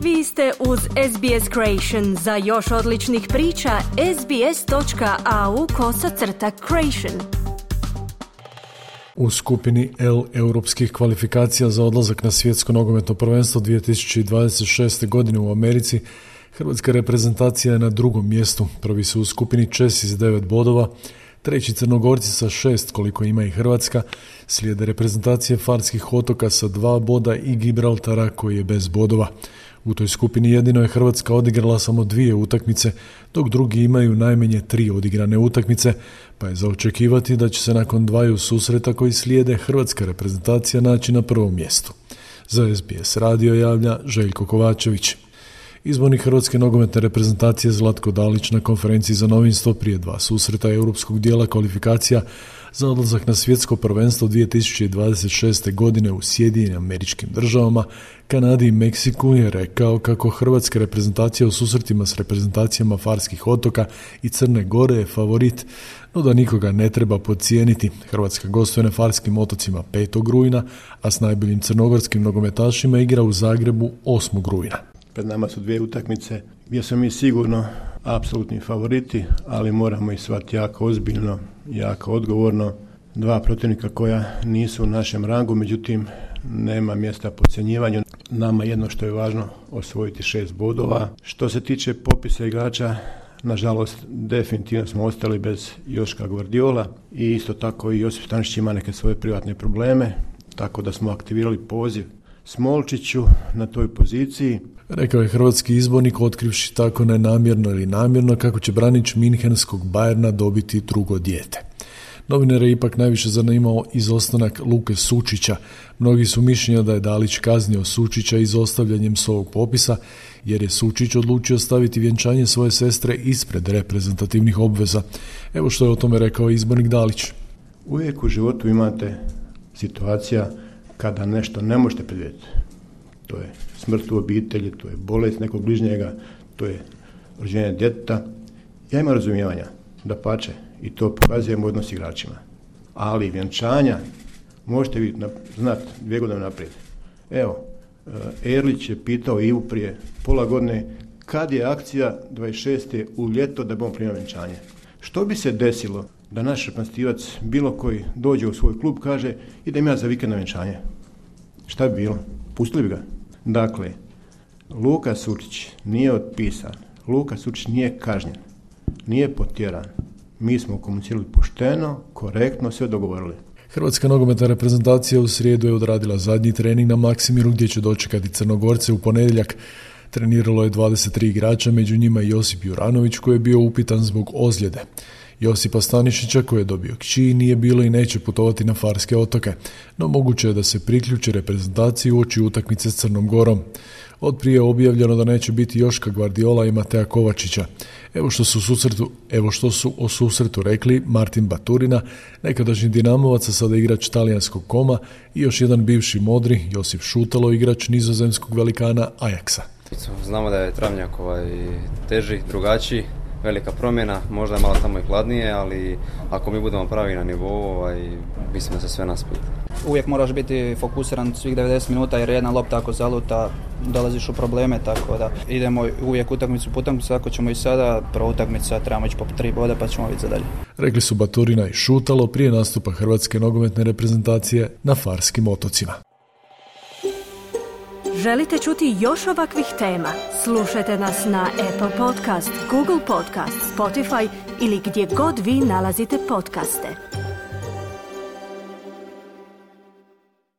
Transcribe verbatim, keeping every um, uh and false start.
Vi ste uz S B S Creation. Za još odličnih priča, sbs.au kosacrta creation. U skupini L europskih kvalifikacija za odlazak na svjetsko nogometno prvenstvo dvije tisuće dvadeset šeste. godine u Americi, hrvatska reprezentacija je na drugom mjestu. Prvi su u skupini Česi s devet bodova, treći Crnogorci sa šest koliko ima i Hrvatska, slijede reprezentacije Farskih otoka sa dva boda i Gibraltara koji je bez bodova. U toj skupini jedino je Hrvatska odigrala samo dvije utakmice, dok drugi imaju najmanje tri odigrane utakmice, pa je za očekivati da će se nakon dvaju susreta koji slijede hrvatska reprezentacija naći na prvom mjestu. Za S B S radio javlja Željko Kovačević. Izbornik hrvatske nogometne reprezentacije Zlatko Dalić na konferenciji za novinstvo prije dva susreta europskog dijela kvalifikacija za odlazak na svjetsko prvenstvo dvije tisuće dvadeset šeste. godine u Sjedinjenim Američkim Državama, Kanadi i Meksiku je rekao kako hrvatska reprezentacija u susretima s reprezentacijama Farskih otoka i Crne Gore je favorit, no da nikoga ne treba podcijeniti. Hrvatska gostuje na Farskim otocima petog rujna, a s najboljim crnogorskim nogometašima igra u Zagrebu osmog rujna. Pred nama su dvije utakmice gdje smo mi sigurno apsolutni favoriti, ali moramo ih shvatiti jako ozbiljno, jako odgovorno. Dva protivnika koja nisu u našem rangu, međutim nema mjesta podcjenjivanju. Nama jedno što je važno osvojiti šest bodova. Što se tiče popisa igrača, nažalost definitivno smo ostali bez Joška Gvardiola i isto tako i Josip Stančić ima neke svoje privatne probleme, tako da smo aktivirali poziv Smolčiću na toj poziciji. Rekao je hrvatski izbornik, otkrivši tako nenamjerno ili namjerno kako će branič minhenskog Bayerna dobiti drugo dijete. Novinare je ipak najviše zanimao izostanak Luke Sučića. Mnogi su mišljenja da je Dalić kaznio Sučića izostavljanjem s ovog popisa, jer je Sučić odlučio staviti vjenčanje svoje sestre ispred reprezentativnih obveza. Evo što je o tome rekao izbornik Dalić. Uvijek u životu imate situacija kada nešto ne možete predvidjeti. To je smrt u obitelji, to je bolest nekog bližnjega, to je rođenje djeteta. Ja imam razumijevanja, dapače, i to pokazujem u odnos igračima. Ali vjenčanja možete vi znati dvije godine naprijed. Evo, Erlić je pitao Ivu prije pola godine kad je akcija dvadeset šeste u ljeto da bomo primio vjenčanje. Što bi se desilo da naš reprezentativac bilo koji dođe u svoj klub, kaže idem ja za vikend na vjenčanje? Šta bi bilo? Pustili bi ga? Dakle, Luka Sučić nije otpisan, Luka Sučić nije kažnjen, nije potjeran. Mi smo komunicirali pošteno, korektno, sve dogovorili. Hrvatska nogometna reprezentacija u srijedu je odradila zadnji trening na Maksimiru gdje će dočekati Crnogorce u ponedjeljak. Treniralo je dvadeset tri igrača, među njima i Josip Juranović koji je bio upitan zbog ozljede. Josipa Stanišića koji je dobio kći nije bilo i neće putovati na Farske otoke, no moguće je da se priključi reprezentaciji uoči utakmice s Crnom Gorom. Od prije objavljeno da neće biti Joška Gvardiola i Mateja Kovačića. Evo što su, susretu, evo što su o susretu rekli Martin Baturina, nekadašnji Dinamovac, a sada igrač talijanskog Koma, i još jedan bivši Modri, Josip Šutalo, igrač nizozemskog velikana Ajaxa. Znamo da je travnjak ovaj teži, drugačiji, velika promjena, možda je malo tamo i hladnije, ali ako mi budemo pravi na nivou, ovaj, mislim da se sve nas pita. Uvijek moraš biti fokusiran svih devedeset minuta jer jedna lopta ako zaluta dolaziš u probleme, tako da idemo uvijek utakmicu po utakmicu, ako ćemo i sada, prva utakmica trebamo ići po tri boda pa ćemo vidjeti za dalje. Rekli su Baturina i Šutalo prije nastupa hrvatske nogometne reprezentacije na Farskim otocima. Želite čuti još ovakvih tema? Slušajte nas na Apple Podcast, Google Podcast, Spotify ili gdje god vi nalazite podcaste.